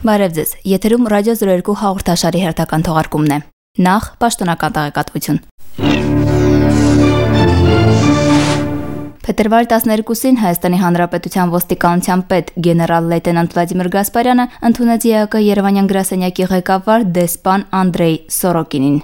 Բարև ձեզ, եթերում ռադիո 02 հաղորդաշարի հերթական թողարկումն է։ Նախ պաշտոնական տեղեկատվություն։ Փետրվարի 12-ին Հայաստանի Հանրապետության ոստիկանության պետ գեներալ լեյտենանտ Վլադիմիր Գասպարյանը ընդունեց ԵԱԿ Երևանյան գրասենյակի ղեկավար դեսպան Անդրեյ Սորոկինին։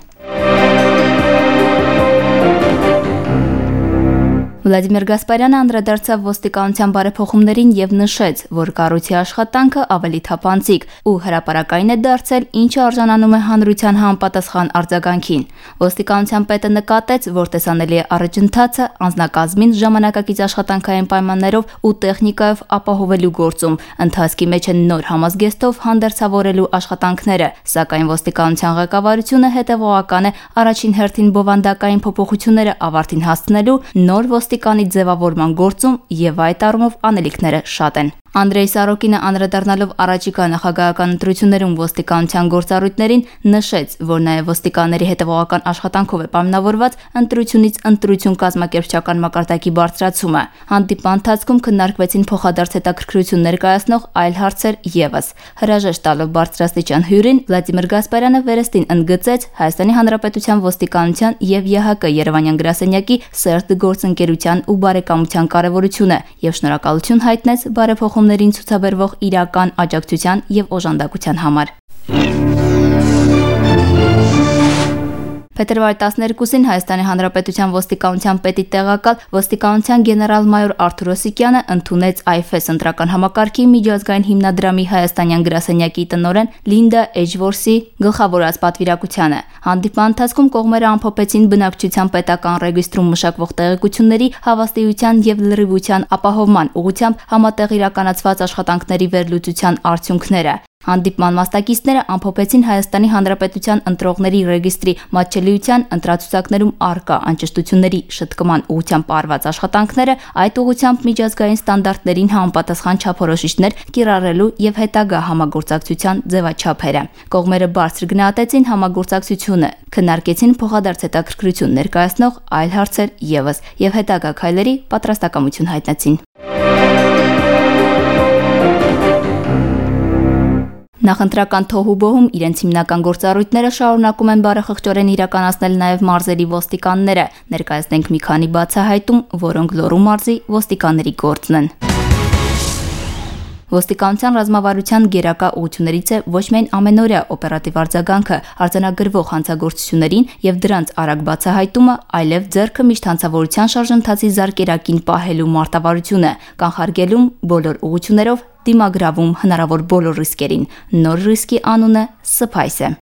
Վլադիմիր Գասպարյանը անդրադարձավ ոստիկանության բարեփոխումներին եւ նշեց, որ կառույցի աշխատանքը ավելի թափանցիկ ու հրապարակային է դարձել, ինչը արժանանում է հանրության համապատասխան արձագանքին։ Ոստիկանության պետը նկատեց, որ տեսանելի է առաջընթացը անձնակազմին ժամանակակից աշխատանքային պայմաններով ու տեխնիկայով ապահովելու գործում, ընթացքի մեջ են նոր համազգեստով հանդերձավորելու աշխատանքները, սակայն ոստիկանության ղեկավարությունը հետևողական է առաջին հերթին բովանդակային փոփոխությունները ավարտին հասցնելու նոր ոստիկանի ձևավորման գործում եւ այդ առումով անելիքները շատ են։ Անդրեյ Սորոկինը անդրադառնալով առաջիկա նախագահական ընտրություններում ոստիկանության գործառույթներին նշեց, որ նաև ոստիկանների հետևողական աշխատանքով է պայմանավորված ընտրությունից ընտրություն կազմակերպչական մակարդակի բարձրացումը։ Հանդիպման ընթացքում քննարկվեցին փոխադարձ հետաքրքրություն ներկայացնող այլ հարցեր եւս։ Հրաժեշտ տալով բարձրաստիճան հյուրին Վլադիմիր Գասպարյանը վերստին ընդգծեց Հայաստանի Հանրապետության ոստիկանության եւ ԵԱՀԿ Երևանյան գրասենյակի սերտ գործընկերության ու բարեկամության կարեւորությունը եւ շնորհակալություն հայտնեց բարեփոխումներին ցուցաբերվող իրական աջակցության եւ օժանդակության համար։ Փետրվարի 12-ին Հայաստանի Հանրապետության ոստիկանության պետի տեղակալ ոստիկանության գեներալ-մայոր Արթուր Օսիկյանը ընդունեց IFES ընտրական համակարգի միջազգային հիմնադրամի հայաստանյան գրասենյակի տնօրեն Լինդա Էջվորսի գլխավորած պատվիրակությանը։ Հանդիպման ընթացքում կողմերը ամփոփեցին բնակչության պետական ռեգիստրում մշակվող տեղեկությունների հավաստիության եւ լրիվության ապահովման ուղղությամբ համատեղ իրականացված աշխատանքների վերլուծության արդյունքները։ Հանդիպման մասնակիցները ամփոփեցին Հայաստանի Հանրապետության ընտրողների ռեգիստրի մատչելիության ընտրացուցակներում առկա անճշտությունների շտկման ուղղությամբ արված աշխատանքները, այդ ուղղությամբ միջազգային ստանդարտներին համապատասխան չափորոշիչներ կիրառելու եւ հետագա համագործակցության ձևաչափերը։ Կողմերը բարձր գնահատեցին համագործակցությունը, քննարկեցին փոխադարձ հետաքրքրություն ներկայացնող այլ հարցեր եւս եւ հետագա քայլերի պատրաստակամություն հայտնեցին։ Նախընտրական թոհուբոհում իրենց հիմնական գործառույթները շարունակում են բարեխղճորեն իրականացնել նաև մարզերի ոստիկանները։ Ներկայացնենք մի քանի բացահայտում, որոնք Լոռու մարզի ոստիկանների գործն են։ Ոստիկանության ռազմավարության գերակա ուղղություններից է ոչ միայն ամենօրյա օպերատիվ արձագանքը արձանագրվող հանցագործություններին եւ դրանց արագ բացահայտումը, այլև ձեռքը միշտ հանցավորության շարժընթացի զարկերակին պահելու մարտավարությունը, կանխարգելում բոլոր ուղղություններով դիմագրավում հնարավոր բոլոր ռիսկերին։ Նոր ռիսկի անունը սփայս է։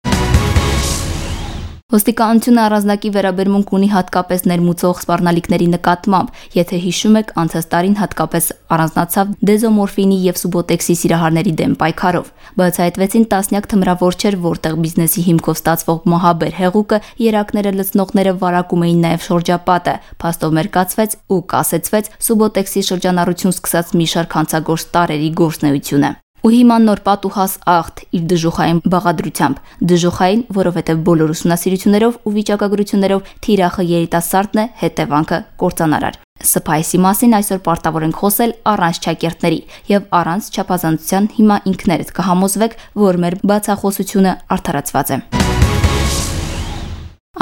Ոստիկանությունը առանձնակի վերաբերմունք ունի հատկապես ներմուծող սպառնալիքների նկատմամբ, եթե հիշում եք, անցած տարին հատկապես առանձնացավ դեզոմորֆինի եւ սուբոտեքսի սիրահարների դեմ պայքարով։ Բացահայտվեցին տասնյակ թմրավորչեր, որտեղ բիզնեսի հիմքով ստացվող մահաբեր հեղուկը երակները լցնողները վարակում էին նաեւ շրջապատը։ Փաստով մերկացվեց ու կասեցվեց սուբոտեքսի շրջանառություն սկսած մի շարք հանցագործ տարերի գործնեությունը։ Ու հիմա նոր պատուհաս աղթ իր դժոխային բաղադրությամբ, դժոխային, որովհետև բոլոր ուսումնասիրություններով ու վիճակագրություններով թիրախը երիտասարդն է, հետևանքը կործանարար։ Սփայսի մասին այսօր պարտավոր ենք խոսել առանց չակերտների եւ առանց չափազանցության հիմա ինքներդ կհամոզվեք, որ մեր բացախոսությունը արդարացված է։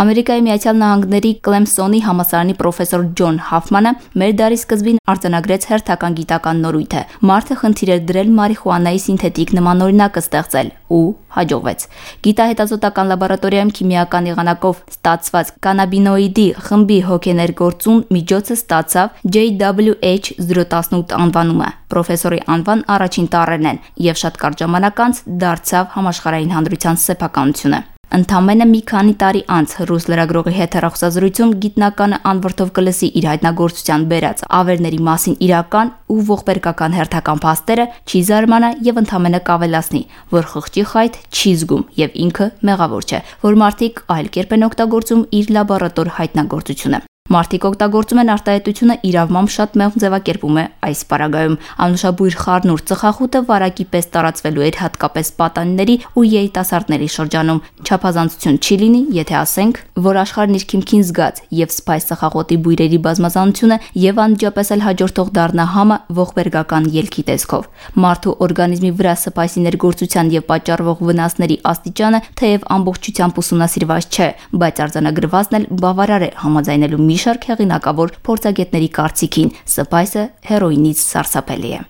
Ամերիկայի Միացյալ Նահանգների Կլեմսոնի համալսարանի պրոֆեսոր Ջոն Հաֆմանը մեր դարի սկզբին արձանագրեց հերթական գիտական նորույթը։ Մարդը խնդիր էր դրել մարիխուանայի սինթետիկ նմանօրինակը ստեղծել ու հաջողվեց։ Գիտահետազոտական լաբորատորիայում քիմիական եղանակով ստացված կանաբինոիդի խմբի հոգեներգործուն միջոցը ստացավ JWH018 անվանումը։ Պրոֆեսորի անվան առաջին տառերն են եւ շատ կարճ ժամանակ անց դարձավ համաշխարհային հանրության սեփականությունը։ Ընդամենը մի քանի տարի անց ռուս լրագրողի հետ հեռախոսազրույցում գիտնականը անվրդով կլսի իր հայտնագործության բերած ավերների մասին իրական ու ողբերգական հերթական փաստերը, չի զարմանա եւ ընդամենը կավելացնի, որ խղճի խայտ չի զգում եւ ինքը մեղավոր չէ, որ մարդիկ այլ կերպ են օգտագործում իր լաբորատոր հայտնագործությունը։ Մարդիկ օգտագործում են արտահայտությունը իրավմամբ շատ մեղմ ձևակերպում է այս պարագայում։ Անուշաբույր խառնուրդ ծխախոտը վարակի պես տարածվելու էր հատկապես պատանիների ու երիտասարդների շրջանում։ Չափազանցություն չի լինի, եթե ասենք, որ աշխարհն իր քիմքին զգաց եւ սփայս ծխախոտի բույրերի բազմազանությունը եւ անմիջապես էլ հաջորդող դառնա համը ողբերգական ելքի տեսքով։ Մարդու օրգանիզմի վրա սփայսի ներգործության եւ պատճառվող վնասների աստիճանը թեև ամբողջությամբ ուսումնասիրված չէ, բայց արձանագրվածն էլ բավարար է համաձայնելու մի շարք հեղինակավոր փորձագետների կարծիքին՝ սփայսը հերոինից սարսափելի է։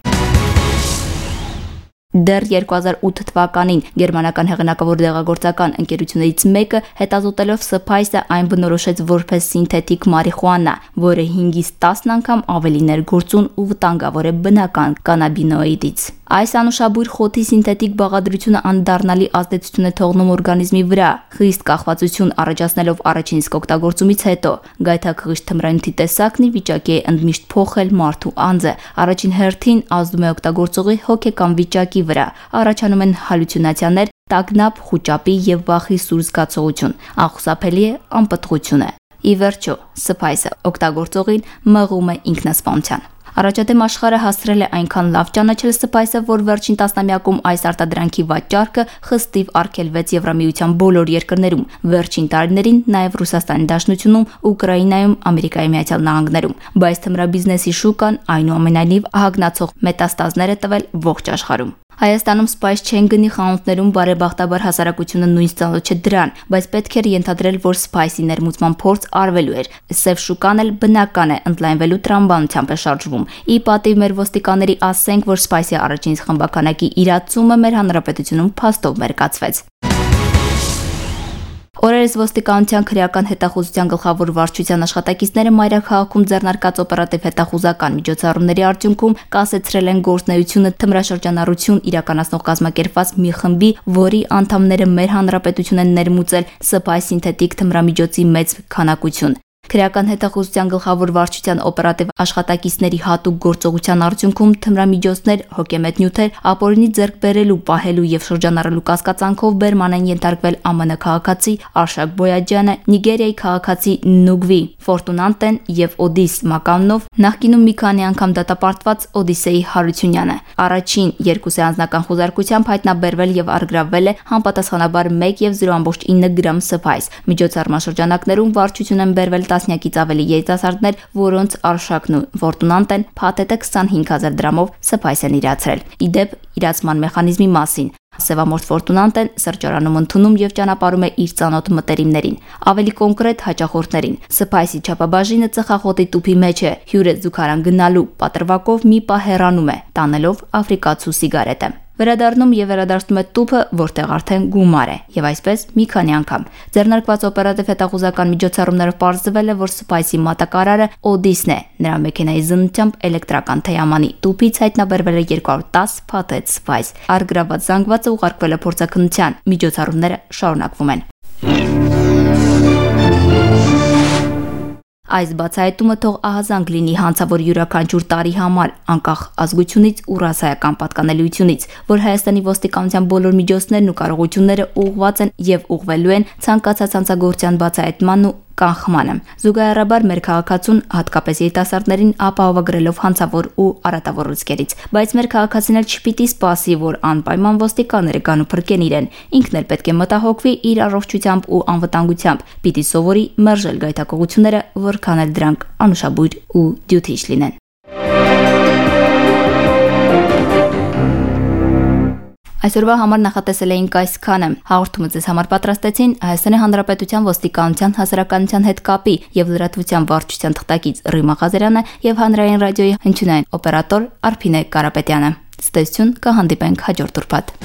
Դեռ 2008 թվականին գերմանական հեղինակավոր դեղագործական ընկերություններից մեկը հետազոտելով սփայսը այն բնորոշեց որպես սինթետիկ մարիխուանա, որը 5-ից 10 անգամ ավելի ներգործուն ու վտանգավոր է բնական կանաբինոիդից։ Այս անուշաբույր խոթի սինթետիկ բաղադրությունը անդառնալի ազդեցություն է թողնում օրգանիզմի վրա, խիստ կախվածություն առաջացնելով առաջին իսկ օգտագործումից հետո։ Գայթակղիչ թմրանյութի տեսակն ի վիճակի է ընդմիշտ փոխել մարդու անձը։ Առաջին հերթին ազդում է օգտագործողի հոգեկան վիճակի վրա, առաջանում են հալյուցինացիաներ, տագնապ, խուճապի եւ վախի սուր զգացողություն, անխուսափելի է անպտղությունը։ Ի վերջո, սփայսը օգտագործողին մղում է ինքնասպանության։ Առաջադեմ աշխարհը հասցրել է այնքան լավ ճանաչել սփայսը, որ վերջին տասնամյակում այս արտադրանքի վաճառքը խստիվ արգելվեց Եվրամիության բոլոր երկրներում, վերջին տարիներին նաև Ռուսաստանի Դաշնությունում, Ուկրաինայում, Ամերիկայի Միացյալ Նահանգներում, բայց թմրաբիզնեսի շուկան այնուամենայնիվ ահագնացող մետաստազներ է տվել ողջ աշխարհում։ Հայաստանում սփայս չեն գնի խանութներում, բարեբախտաբար հասարակությունը նույնիսկ ծանոթ չէ դրան, բայց պետք էր ենթադրել, որ սփայսի ներմուծման փորձ արվելու էր։ Սև շուկան էլ բնական է ընդլայնվելու տրամաբանությամբ է շարժվում։ Ի պատիվ մեր ոստիկանների ասենք, որ սփայսի առաջին խմբականակի իրացումը մեր հանրապետությունում փաստով մերկացվեց։ Օրերս ոստիկանության քրեական հետախուզության գլխավոր վարչության աշխատակիցները մայրաքաղաքում ձեռնարկած օպերատիվ հետախուզական միջոցառումների արդյունքում կասեցրել են գործունեությունը թմրաշրջանառություն իրականացնող կազմակերպված մի խմբի, որի անդամները մեր հանրապետություն են ներմուծել սփայս սինթետիկ թմրամիջոցի մեծ քանակություն։ Քրեական հետախուզության գլխավոր վարչության օպերատիվ աշխատակիցների հատուկ գործողության արդյունքում թմրամիջոցներ, հոգեմետ նյութեր, ապօրինի ձեռք բերելու, պահելու եւ շրջանառելու կասկածանքով բերման են ենթարկվել ԱՄՆ քաղաքացի Արշակ Բոյաջյանը, Նիգերիայի քաղաքացի Նուգվի Ֆորտունանտեն եւ Օդիս Մականնով, նախկինում մի քանի անգամ դատապարտված Օդիսեյ Հարությունյանը։ Առաջին երկուսի անձնական խոզարկությամբ հայտնաբերվել եւ առգրավվել է համապատասխանաբար 1.0.9 գրամ սփայս։ Միջոցառման շրջանակներում վարչություն են բերվել տասնյակից ավելի երիտասարդներ, որոնց Արշակն ու Ֆորտունանտեն փաթեթը 25000 դրամով սփայս են իրացրել։ Իդեպ իրացման մեխանիզմի մասին Սևամորթ Ֆորտունանտեն սրճարանում ընդունում եւ ճանապարհում է իր ծանոթ մտերիմներին, ավելի կոնկրետ հաճախորդներին։ Սփայսի չափաբաժինը ծխախոտի տուփի մեջ է, հյուրը զուգարան գնալու պատրվակով մի պահ հեռանում է, տանելով աֆրիկացու սիգարետը։ Վերադառնում եւ վերադարձնում է տուփը, որտեղ արդեն գումար է, եւ այսպես մի քանի անգամ։ Ձեռնարկված օպերատիվ հետախուզական միջոցառումներով պարզվել է, որ սփայսի մատակարարը Օդիսն է։ Նրա մեքենայի զննությամբ էլեկտրական թեյամանի տուփից հայտնաբերվել է 210 փաթեթ սփայս։ Առգրավված զանգվածը ուղարկվել է փորձաքննության։ Միջոցառումները շարունակվում են։ Այս բացահայտումը թող ահազանգ լինի հանցավոր յուրաքանչյուր տարի համար, անկախ ազգությունից ու ռասայական պատկանելիությունից, որ Հայաստանի ոստիկանության բոլոր միջոցներն ու կարողությունները ուղղված են եւ ուղղվելու են ցանկացած հանցագործության բացահայտման ու կանխմանը։ Զուգահեռաբար մեր քաղաքացուն, հատկապես երիտասարդներին ապահովագրելով հանցավոր ու արատավոր ռիսկերից, բայց մեր քաղաքացին էլ չպիտի սպասի, որ անպայման ոստիկանները գան ու փրկեն իրեն։ Ինքն էլ պետք է մտահոգվի իր առողջությամբ ու անվտանգությամբ, պիտի սովորի մերժել գայթակղությունները, որքան էլ դրանք անուշաբույր ու դյութիչ լինեն։ Այսօրվա համար նախատեսել էինք այսքանը։ Հաղորդումը ձեզ համար պատրաստեցին Հայաստանի Հանրապետության ոստիկանության հասարակայնության հետ կապի եւ լրատվության վարչության թղթակից Ռիմա Ղազարյանը եւ Հանրային ռադիոյի հնչյունային օպերատոր Արփինե Կարապետյանը։ Ստեսություն կհանդիպենք հաջորդ ուրբաթ։